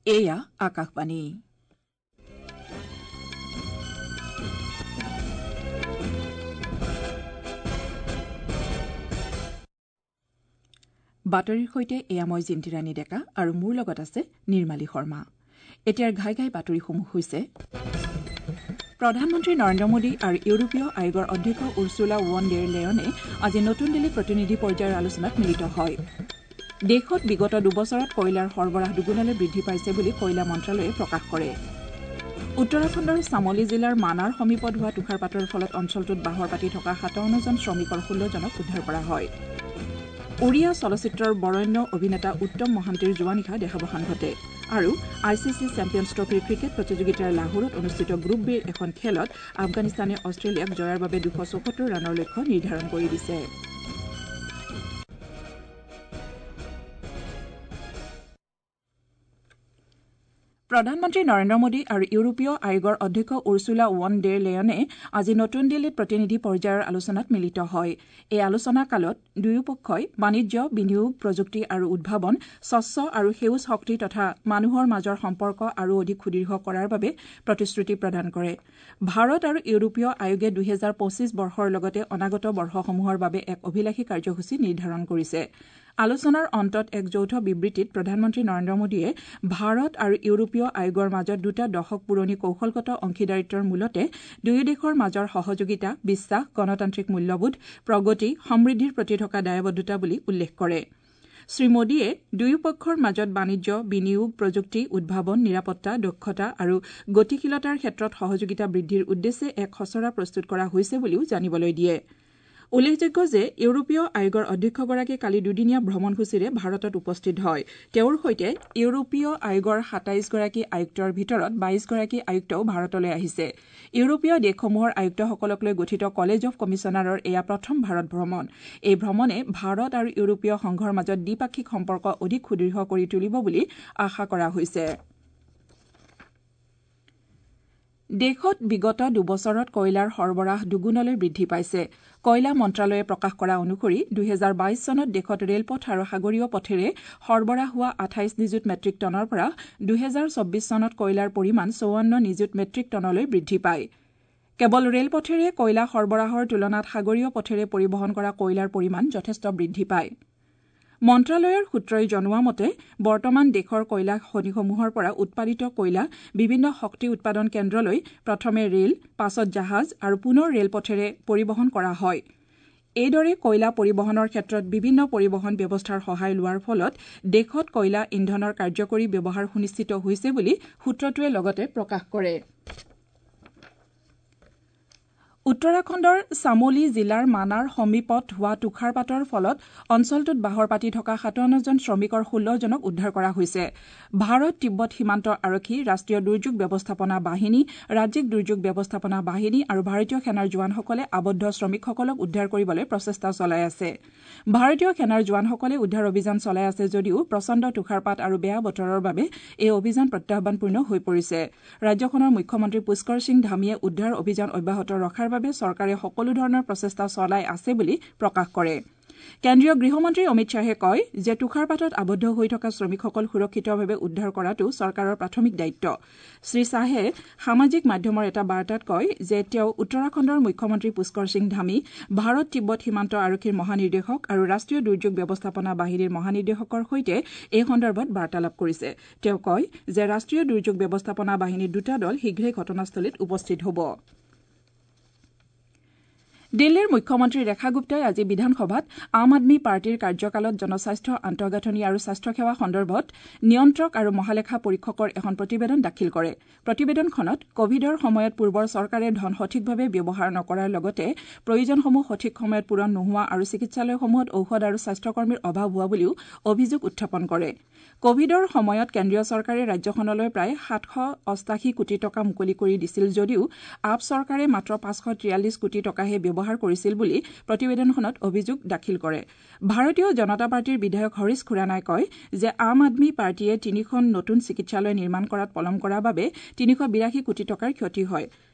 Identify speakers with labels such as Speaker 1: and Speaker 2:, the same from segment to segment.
Speaker 1: এয়া আকাশবাণী। বাতৰিৰ সৈতে এয়া মই জিন্তিৰাণী ডেকা আৰু মোৰ লগত আছে নিৰ্মালী শৰ্মা। এতিয়াৰ ঘাই ঘাই বাতৰিসমূহ হৈছে: প্ৰধানমন্ত্ৰী নৰেন্দ্ৰ মোদী আৰু ইউৰোপীয় আয়োগৰ অধ্যক্ষ উৰ্চুলা ৱন ডেৰ লেয়নে আজি নতুন দিল্লীত প্ৰতিনিধি পৰ্যায়ৰ আলোচনাত মিলিত হয়। দেশত বিগত দুবছৰত কয়লাৰ সৰবৰাহ দুগুণলৈ বৃদ্ধি পাইছে বুলি কয়লা মন্ত্ৰালয়ে প্ৰকাশ কৰে। উত্তৰাখণ্ডৰ চামলি জিলাৰ মানাৰ সমীপত হোৱা তুষাৰপাতৰ ফলত অঞ্চলটোত বাহৰ পাতি থকা ৫৭জন শ্ৰমিকৰ ১৬জনক উদ্ধাৰ কৰা হয়। উৰিয়া চলচ্চিত্ৰৰ বৰেণ্য অভিনেতা উত্তম মহান্তিৰ যোৱা নিশা দেহাৱসান ঘটে। আৰু I C C champions ট্ৰফীৰ ক্ৰিকেট প্ৰতিযোগিতাৰ লাহোৰত অনুষ্ঠিত গ্ৰুপ বিৰ এখন খেলত আফগানিস্তানে অষ্ট্ৰেলিয়াক জয়ৰ বাবে ২৭৪ ৰানৰ লক্ষ্য নিৰ্ধাৰণ কৰি দিছে। প্ৰধানমন্ত্ৰী নৰেন্দ্ৰ মোদী আৰু ইউৰোপীয় আয়োগৰ অধ্যক্ষ উৰ্চুলা ৱন ডেৰ লেয়নে আজি নতুন দিল্লীত প্ৰতিনিধি পৰ্যায়ৰ আলোচনাত মিলিত হয়। এই আলোচনা কালত দুয়োপক্ষই বাণিজ্য, বিনিয়োগ, প্ৰযুক্তি আৰু উদ্ভাৱন, স্বচ্ছ আৰু সেউজ শক্তি তথা মানুহৰ মাজৰ সম্পৰ্ক আৰু অধিক সুদৃঢ় কৰাৰ বাবে প্ৰতিশ্ৰুতি প্ৰদান কৰে। ভাৰত আৰু ইউৰোপীয় আয়োগে ২০২৫ বৰ্ষৰ লগতে অনাগত বৰ্ষসমূহৰ বাবে এক অভিলাষী কাৰ্যসূচী নিৰ্ধাৰণ কৰিছে। আলোচনাৰ অন্তত এক যৌথ বিবৃতিত প্ৰধানমন্ত্ৰী নৰেন্দ্ৰ মোদীয়ে ভাৰত আৰু ইউৰোপীয় আয়োগৰ মাজত দুটা দশক পুৰণি কৌশলগত অংশীদাৰিত্বৰ মূলতে দুয়ো দেশৰ মাজৰ সহযোগিতা, বিশ্বাস, গণতান্ত্ৰিক মূল্যবোধ, প্ৰগতি, সমৃদ্ধিৰ প্ৰতি থকা দায়বদ্ধতা বুলি উল্লেখ কৰে। শ্ৰীমোদীয়ে দুয়োপক্ষৰ মাজত বাণিজ্য, বিনিয়োগ, প্ৰযুক্তি, উদ্ভাৱন, নিৰাপত্তা, দক্ষতা আৰু গতিশীলতাৰ ক্ষেত্ৰত সহযোগিতা বৃদ্ধিৰ উদ্দেশ্যে এক খচৰা প্ৰস্তুত কৰা হৈছে বুলিও জানিবলৈ দিয়ে। উল্লেখযোগ্য যে ইউৰোপীয় আয়োগৰ অধ্যক্ষগৰাকী কালি দুদিনীয়া ভ্ৰমণসূচীৰে ভাৰতত উপস্থিত হয়। তেওঁৰ সৈতে ইউৰোপীয় আয়োগৰ ২৭গৰাকী আয়ুক্তৰ ভিতৰত ২২গৰাকী আয়ুক্তও ভাৰতলৈ আহিছে। ইউৰোপীয় দেশসমূহৰ আয়ুক্তসকলক লৈ গঠিত কলেজ অৱ কমিছনাৰৰ এয়া প্ৰথম ভাৰত ভ্ৰমণ। এই ভ্ৰমণে ভাৰত আৰু ইউৰোপীয় সংঘৰ মাজত দ্বিপাক্ষিক সম্পৰ্ক অধিক সুদৃঢ় কৰি তুলিব বুলি আশা কৰা হৈছে। দেশত বিগত দুবছৰত কয়লাৰ সৰবৰাহ দুগুণলৈ বৃদ্ধি পাইছে। কয়লা মন্ত্ৰালয়ে প্ৰকাশ কৰা অনুসৰি ২০২২ চনত দেশত ৰেলপথ আৰু সাগৰীয় পথেৰে সৰবৰাহ হোৱা ২৮ নিযুত মেট্ৰিক টনৰ পৰা ২০২৪ চনত কয়লাৰ পৰিমাণ ৫৪ নিযুত মেট্ৰিক টনলৈ বৃদ্ধি পায়। কেৱল ৰেলপথেৰে কয়লা সৰবৰাহৰ তুলনাত সাগৰীয় পথেৰে পৰিবহণ কৰা কয়লাৰ পৰিমাণ যথেষ্ট বৃদ্ধি পায়। মন্ত্ৰালয়ৰ সূত্ৰই জনোৱা মতে বৰ্তমান দেশৰ কয়লা খনিসমূহৰ পৰা উৎপাদিত কয়লা বিভিন্ন শক্তি উৎপাদন কেন্দ্ৰলৈ প্ৰথমে ৰেল, পাছত জাহাজ আৰু পুনৰ ৰেলপথেৰে পৰিবহণ কৰা হয়। এইদৰে কয়লা পৰিবহণৰ ক্ষেত্ৰত বিভিন্ন পৰিবহণ ব্যৱস্থাৰ সহায় লোৱাৰ ফলত দেশত কয়লা ইন্ধনৰ কাৰ্যকৰী ব্যৱহাৰ সুনিশ্চিত হৈছে বুলি সূত্ৰটোৱে লগতে প্ৰকাশ কৰে। উত্তৰাখণ্ডৰ চামলি জিলাৰ মানাৰ সমীপত হোৱা তুষাৰপাতৰ ফলত অঞ্চলটোত বাহৰ পাতি থকা ৫৭জন শ্ৰমিকৰ ১৬জনক উদ্ধাৰ কৰা হৈছে। ভাৰত তিব্বত সীমান্ত আৰক্ষী, ৰাষ্ট্ৰীয় দুৰ্যোগ ব্যৱস্থাপনা বাহিনী, ৰাজ্যিক দুৰ্যোগ ব্যৱস্থাপনা বাহিনী আৰু ভাৰতীয় সেনাৰ জোৱানসকলে আবদ্ধ শ্ৰমিকসকলক উদ্ধাৰ কৰিবলৈ প্ৰচেষ্টা চলাই আছে। ভাৰতীয় সেনাৰ জোৱানসকলে উদ্ধাৰ অভিযান চলাই আছে যদিও প্ৰচণ্ড তুষাৰপাত আৰু বেয়া বতৰৰ বাবে এই অভিযান প্ৰত্যাহ্বানপূৰ্ণ হৈ পৰিছে। ৰাজ্যখনৰ মুখ্যমন্ত্ৰী পুষ্কৰ সিং ধামীয়ে উদ্ধাৰ অভিযান অব্যাহত ৰখাৰ বাবে চৰকাৰে সকলো ধৰণৰ প্ৰচেষ্টা চলাই আছে বুলি প্ৰকাশ কৰে। কেন্দ্ৰীয় গৃহমন্ত্ৰী অমিত শ্বাহে কয় যে তুষাৰপাতত আবদ্ধ হৈ থকা শ্ৰমিকসকল সুৰক্ষিতভাৱে উদ্ধাৰ কৰাটো চৰকাৰৰ প্ৰাথমিক দায়িত্ব। শ্ৰীশ্বাহে সামাজিক মাধ্যমৰ এটা বাৰ্তাত কয় যে তেওঁ উত্তৰাখণ্ডৰ মুখ্যমন্ত্ৰী পুষ্কৰ সিং ধামী, ভাৰত তিব্বত সীমান্ত আৰক্ষীৰ মহানিৰ্দেশক আৰু ৰাষ্ট্ৰীয় দুৰ্যোগ ব্যৱস্থাপনা বাহিনীৰ মহানিৰ্দেশকৰ সৈতে এই সন্দৰ্ভত বাৰ্তালাপ কৰিছে। তেওঁ কয় যে ৰাষ্ট্ৰীয় দুৰ্যোগ ব্যৱস্থাপনা বাহিনীৰ দুটা দল শীঘ্ৰেই ঘটনাস্থলীত উপস্থিত হ'ব। দিল্লীৰ মুখ্যমন্ত্ৰী ৰেখা গুপ্তাই আজি বিধানসভাত আম আদমী পাৰ্টীৰ কাৰ্যকালত জনস্বাস্থ্য আন্তঃগাঁথনি আৰু স্বাস্থ্যসেৱা সন্দৰ্ভত নিয়ন্ত্ৰক আৰু মহালেখা পৰীক্ষকৰ এখন প্ৰতিবেদন দাখিল কৰে। প্ৰতিবেদনখনত কভিডৰ সময়ত পূৰ্বৰ চৰকাৰে ধন সঠিকভাৱে ব্যৱহাৰ নকৰাৰ লগতে প্ৰয়োজনসমূহ সঠিক সময়ত পূৰণ নোহোৱা আৰু চিকিৎসালয়সমূহত ঔষধ আৰু স্বাস্থ্যকৰ্মীৰ অভাৱ হোৱা বুলিও অভিযোগ উত্থাপন কৰে। কভিডৰ সময়ত কেন্দ্ৰীয় চৰকাৰে ৰাজ্যখনলৈ প্ৰায় ৭৮৮ কোটি টকা মুকলি কৰি দিছিল যদিও আপ চৰকাৰে মাত্ৰ ৫৪৩ কোটি টকাহে ব্যৱহাৰ কৰিছিল বুলি প্ৰতিবেদনখনত অভিযোগ দাখিল কৰে। ভাৰতীয় জনতা পাৰ্টীৰ বিধায়ক হৰিশ খুৰানাই কয় যে আম আদমী পাৰ্টীয়ে তিনিখন নতুন চিকিৎসালয় নিৰ্মাণ কৰাত পলম কৰাৰ বাবে ৩৮২ কোটি টকাৰ ক্ষতি হয়।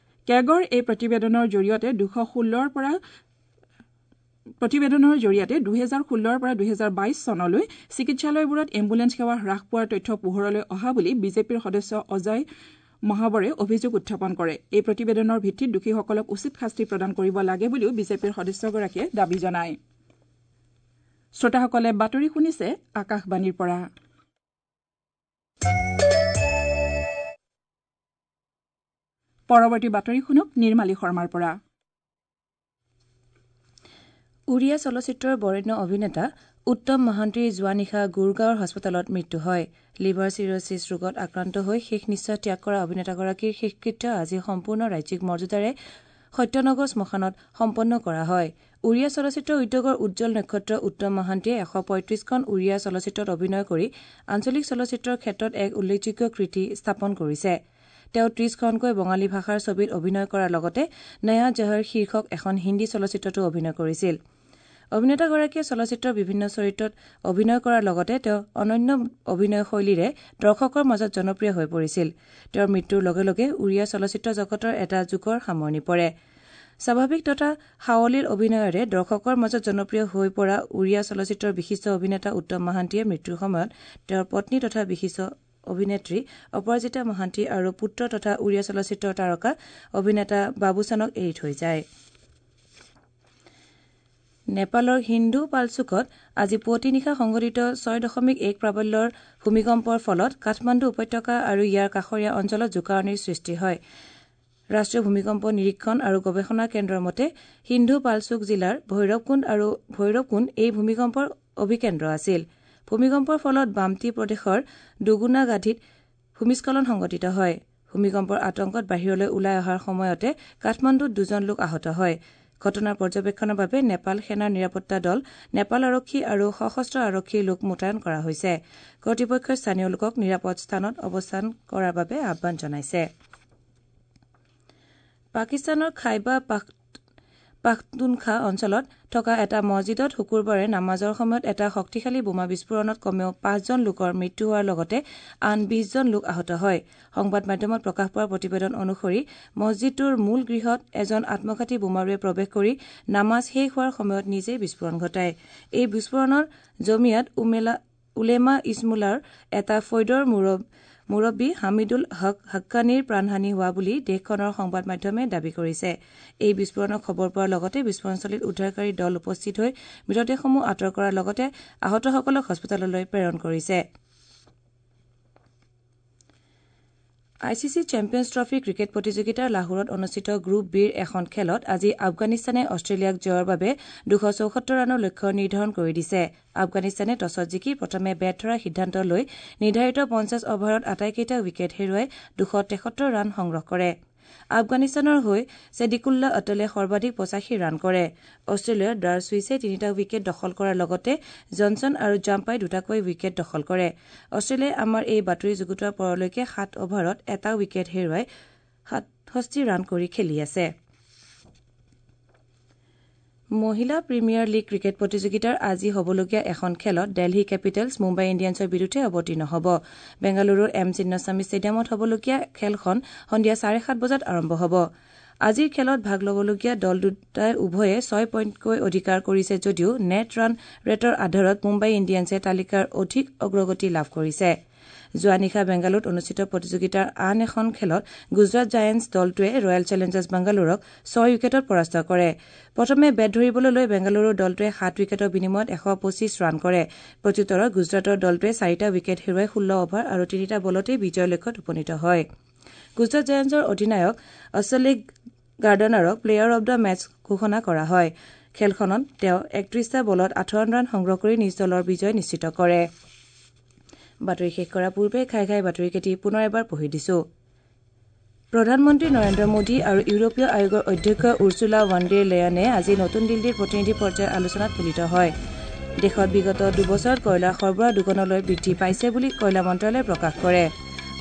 Speaker 1: কেগৰ এই প্ৰতিবেদনৰ জৰিয়তে ২১৬ৰ পৰা প্ৰতিবেদনৰ জৰিয়তে ২০১৬ৰ পৰা ২০২২ চনলৈ চিকিৎসালয়বোৰত এম্বুলেন্স সেৱা হ্ৰাস পোৱাৰ তথ্য পোহৰলৈ অহা বুলি বিজেপিৰ সদস্য অজয় মহাবৰে অভিযোগ উত্থাপন কৰে। এই প্ৰতিবেদনৰ ভিত্তিত দোষীসকলক উচিত শাস্তি প্ৰদান কৰিব লাগে বুলিও বিজেপিৰ সদস্যগৰাকীয়ে দাবী জনায়। শ্ৰোতাসকলে বাতৰি শুনিছে আকাশবাণীৰ পৰা। পৰৱৰ্তী বাতৰি শুনক নিৰ্মালী শৰ্মাৰ পৰা।
Speaker 2: উৰিয়া চলচ্চিত্ৰৰ বৰেণ্য অভিনেতা উত্তম মহান্তিৰ যোৱা নিশা গুৰগাঁৱৰ হাস্পতালত মৃত্যু হয়। লিভাৰ চিৰ'ছিছ ৰোগত আক্ৰান্ত হৈ শেষ নিশ্বাস ত্যাগ কৰা অভিনেতাগৰাকীৰ শেষকৃত্য আজি সম্পূৰ্ণ ৰাজ্যিক মৰ্যাদাৰে সত্যনগৰ শ্মশানত সম্পন্ন কৰা হয়। উৰিয়া চলচ্চিত্ৰ উদ্যোগৰ উজ্জ্বল নক্ষত্ৰ উত্তম মহান্তিয়ে ১৩৫খন উৰিয়া চলচ্চিত্ৰত অভিনয় কৰি আঞ্চলিক চলচ্চিত্ৰৰ ক্ষেত্ৰত এক উল্লেখযোগ্য কৃতি স্থাপন কৰিছে। তেওঁ ৩০খনকৈ বঙালী ভাষাৰ ছবিত অভিনয় কৰাৰ লগতে নয়া জহৰ শীৰ্ষক এখন হিন্দী চলচ্চিত্ৰতো অভিনয় কৰিছিল। অভিনেতাগৰাকীয়ে চলচ্চিত্ৰৰ বিভিন্ন চৰিত্ৰত অভিনয় কৰাৰ লগতে তেওঁ অনন্য অভিনয় শৈলীৰে দৰ্শকৰ মাজত জনপ্ৰিয় হৈ পৰিছিল। তেওঁৰ মৃত্যুৰ লগে লগে উৰিয়া চলচ্চিত্ৰ জগতৰ এটা যুগৰ সামৰণি পৰে। স্বাভাৱিক তথা সাৱলীল অভিনয়েৰে দৰ্শকৰ মাজত জনপ্ৰিয় হৈ পৰা উৰিয়া চলচ্চিত্ৰৰ বিশিষ্ট অভিনেতা উত্তম মহান্তিয়ে মৃত্যুৰ সময়ত তেওঁৰ পত্নী তথা বিশিষ্ট অভিনেত্ৰী অপৰাজিতা মহান্তি আৰু পুত্ৰ তথা উৰিয়া চলচ্চিত্ৰৰ তাৰকা অভিনেতা বাবুচানক এৰি থৈ যায়। নেপালৰ হিন্দু পালচুকত আজি পুৱতি নিশা সংঘটিত ৬.১ প্ৰাবল্যৰ ভূমিকম্পৰ ফলত কাঠমাণ্ডু উপত্যকা আৰু ইয়াৰ কাষৰীয়া অঞ্চলত জোকাৰণিৰ সৃষ্টি হয়। ৰাষ্ট্ৰীয় ভূমিকম্প নিৰীক্ষণ আৰু গৱেষণা কেন্দ্ৰৰ মতে সিন্ধু পালচুক জিলাৰ ভৈৰৱকুণ্ড আৰু ভৈৰৱকুণ্ড এই ভূমিকম্পৰ অভিকেন্দ্ৰ আছিল। ভূমিকম্পৰ ফলত বামটি প্ৰদেশৰ দুগুণাগাধিত ভূমিস্খলন সংঘটিত হয়। ভূমিকম্পৰ আতংকত বাহিৰলৈ ওলাই অহাৰ সময়তে কাঠমাণ্ডুত দুজন লোক আহত হয়। ঘটনাৰ পৰ্যবেক্ষণৰ বাবে নেপাল সেনাৰ নিৰাপত্তা দল, নেপাল আৰক্ষী আৰু সশস্ত্ৰ আৰক্ষীৰ লোক মোতায়েন কৰা হৈছে। কৰ্তৃপক্ষই স্থানীয় লোকক নিৰাপদ স্থানত অৱস্থান কৰাৰ বাবে আহ্বান জনাইছে। পাকিস্তানৰ খাইবা পাখতুনখা অঞ্চলত থকা এটা মছজিদত শুকুৰবাৰে নামাজৰ সময়ত এটা শক্তিশালী বোমা বিস্ফোৰণত কমেও ৫জন লোকৰ মৃত্যু হোৱাৰ লগতে আন ২০জন লোক আহত হয়। সংবাদ মাধ্যমত প্ৰকাশ পোৱা প্ৰতিবেদন অনুসৰি মছজিদটোৰ মূল গৃহত এজন আত্মঘাতী বোমাৰুৱে প্ৰৱেশ কৰি নামাজ শেষ হোৱাৰ সময়ত নিজেই বিস্ফোৰণ ঘটায়। এই বিস্ফোৰণৰ জমিয়াত উলেমা ইছমুলাৰ এটা ফৈদৰ মুৰব্বী হামিদুল হক হাক্কানীৰ প্ৰাণহানি হোৱা বুলি দেশখনৰ সংবাদ মাধ্যমে দাবী কৰিছে। এই বিস্ফোৰণৰ খবৰ পোৱাৰ লগতে বিস্ফোৰণস্থলীত উদ্ধাৰকাৰী দল উপস্থিত হৈ মৃতদেহসমূহ আঁতৰ কৰাৰ লগতে আহতসকলক হাস্পতাললৈ প্ৰেৰণ কৰিছে। I C C champions trophy cricket প্ৰতিযোগিতাৰ লাহোৰত অনুষ্ঠিত গ্ৰুপ বিৰ এখন খেলত আজি আফগানিস্তানে অষ্ট্ৰেলিয়াক জয়ৰ বাবে ২৭৪ ৰানৰ লক্ষ্য নিৰ্ধাৰণ কৰি দিছে। আফগানিস্তানে টছত জিকি প্ৰথমে বেট ধৰাৰ সিদ্ধান্ত লৈ নিৰ্ধাৰিত ৫০ অভাৰত আটাইকেইটা উইকেট হেৰুৱাই ২৭৩ ৰান সংগ্ৰহ কৰে। আফগানিস্তানৰ হৈ ছেডিকুল্লা অটলে সৰ্বাধিক ৮৫ ৰান কৰে। অষ্ট্ৰেলিয়াৰ ডাৰ চুইছে ৩টা উইকেট দখল কৰাৰ লগতে জনছন আৰু জাম্পাই দুটাকৈ উইকেট দখল কৰে। অষ্ট্ৰেলিয়াই আমাৰ এই বাতৰি যুগুতোৱাৰ পৰলৈকে ৭ অভাৰত এটা উইকেট হেৰুৱাই ৬৭ ৰান কৰি খেলি আছে। মহিলা প্ৰিমিয়াৰ লীগ ক্ৰিকেট প্ৰতিযোগিতাৰ আজি হ'বলগীয়া এখন খেলত দেলহি কেপিটেলছ মুম্বাই ইণ্ডিয়ানছৰ বিৰুদ্ধে অৱতীৰ্ণ হ'ব। বেংগালুৰুৰ এম চিন্নাস্বামী ষ্টেডিয়ামত হ'বলগীয়া খেলখন সন্ধিয়া ৭:৩০ বজাত আৰম্ভ হ'ব। আজিৰ খেলত ভাগ ল'বলগীয়া দল দুটাই উভয়ে ৬ পইণ্টকৈ অধিকাৰ কৰিছে যদিও নেট ৰান ৰেটৰ আধাৰত মুম্বাই ইণ্ডিয়ানছে তালিকাৰ অধিক অগ্ৰগতি লাভ কৰিছে। যোৱা নিশা বেংগালুৰুত অনুষ্ঠিত প্ৰতিযোগিতাৰ আন এখন খেলত গুজৰাট জায়েণ্টছ দলটোৱে ৰয়েল চেলেঞ্জাৰ্ছ বাংগালোৰক ৬ উইকেটত পৰাস্ত কৰে। প্ৰথমে বেট ধৰিবলৈ লৈ বেংগালুৰুৰ দলটোৱে ৭ উইকেটৰ বিনিময়ত ১২৫ ৰান কৰে। প্ৰত্যুত্তৰত গুজৰাটৰ দলটোৱে ৪টা উইকেট হেৰুৱাই ১৬ অভাৰ আৰু ৩টা বলতেই বিজয়ৰ লক্ষ্যত উপনীত হয়। গুজৰাট জায়েণ্টছৰ অধিনায়ক অশ্বলিক গাৰ্ডনাৰক প্লেয়াৰ অব the match ঘোষণা কৰা হয়। খেলখনত তেওঁ ৩১টা বলত ৫৮ ৰান সংগ্ৰহ কৰি নিজ দলৰ বিজয় নিশ্চিত কৰে। বাতৰি শেষ কৰাৰ পূৰ্বে ঘাই ঘাই বাতৰিকেইটি পুনৰ এবাৰ পঢ়ি দিছো। প্ৰধানমন্ত্ৰী নৰেন্দ্ৰ মোদী আৰু ইউৰোপীয় আয়োগৰ অধ্যক্ষ উৰ্চুলা ৱান ডেৰ লেয়নে আজি নতুন দিল্লীৰ প্ৰতিনিধি পৰ্যায়ৰ আলোচনাত মিলিত হয়। দেশত বিগত দুবছৰত কয়লাৰ সৰবৰাহ দুগুণলৈ বৃদ্ধি পাইছে বুলি কয়লা মন্ত্ৰালয়ে প্ৰকাশ কৰে।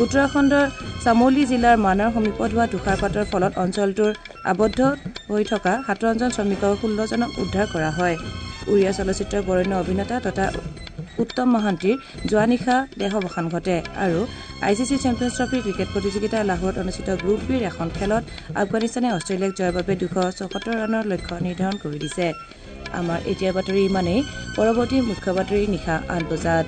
Speaker 2: উত্তৰাখণ্ডৰ চামোলি জিলাৰ মানাৰ সমীপত হোৱা তুষাৰপাতৰ ফলত অঞ্চলটোৰ আবদ্ধ হৈ থকা ৫৭জন শ্ৰমিকৰ ১৬জনক উদ্ধাৰ কৰা হয়। উৰিয়া চলচ্চিত্ৰৰ বৰেণ্য অভিনেতা তথা উত্তম মহান্তিৰ যোৱা নিশা দেহাৱসান ঘটে। আৰু I C C champions trophy cricket প্ৰতিযোগিতাৰ লাহোৰত অনুষ্ঠিত গ্ৰুপ বিৰ এখন খেলত আফগানিস্তানে অষ্ট্ৰেলিয়াক জয়ৰ বাবে ২৭৪ ৰানৰ লক্ষ্য নিৰ্ধাৰণ কৰি দিছে। আমাৰ এতিয়াৰ বাতৰি ইমানেই। পৰৱৰ্তী মুখ্য বাতৰি নিশা ৮ বজাত।